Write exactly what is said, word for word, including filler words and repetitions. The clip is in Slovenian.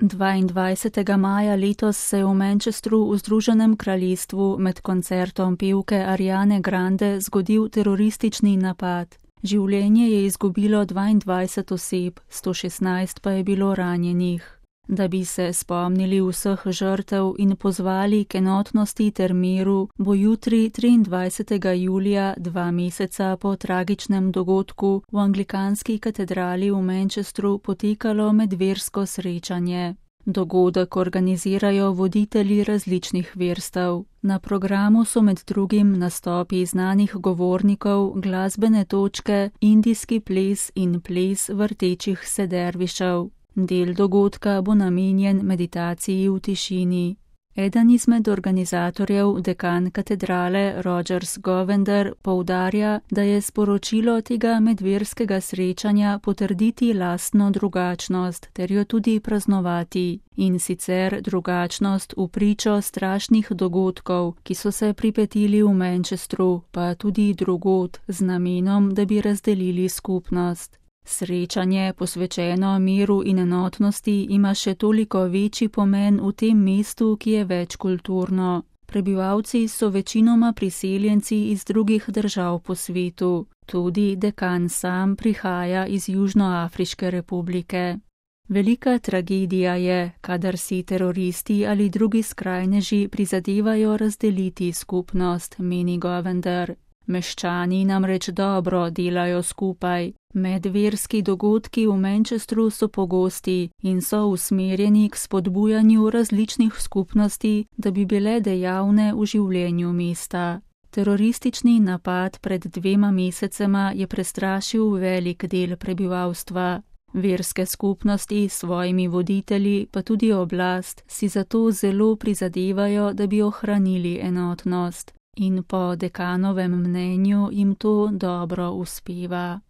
dvaindvajsetega maja letos se je v Manchestru v Združenem kraljestvu med koncertom pevke Ariane Grande zgodil teroristični napad. Življenje je izgubilo dvaindvajset oseb, sto šestnajst pa je bilo ranjenih. Da bi se spomnili vseh žrtev in pozvali k enotnosti ter miru, bo jutri triindvajsetega julija, dva meseca po tragičnem dogodku, v anglikanski katedrali v Manchestru potekalo medversko srečanje. Dogodek organizirajo voditelji različnih verstev. Na programu so med drugim nastopi znanih govornikov, glasbene točke, indijski ples in ples vrtečih se dervišev. Del dogodka bo namenjen meditaciji v tišini. Eden izmed organizatorjev, dekan katedrale Rogers Govender, poudarja, da je sporočilo tega medverskega srečanja potrditi lastno drugačnost ter jo tudi praznovati, in sicer drugačnost v pričo strašnih dogodkov, ki so se pripetili v Manchestru, pa tudi drugod, z namenom, da bi razdelili skupnost. Srečanje, posvečeno miru in enotnosti, ima še toliko večji pomen v tem mestu, ki je večkulturno. Prebivalci so večinoma priseljenci iz drugih držav po svetu. Tudi dekan sam prihaja iz Južnoafriške republike. Velika tragedija je, kadar si teroristi ali drugi skrajneži prizadevajo razdeliti skupnost, meni Govender. Meščani namreč dobro delajo skupaj. Medverski dogodki v Manchestru so pogosti in so usmerjeni k spodbujanju različnih skupnosti, da bi bile dejavne v življenju mesta. Teroristični napad pred dvema mesecema je prestrašil velik del prebivalstva. Verske skupnosti s svojimi voditelji, pa tudi oblast, si zato zelo prizadevajo, da bi ohranili enotnost. In po dekanovem mnenju jim to dobro uspeva.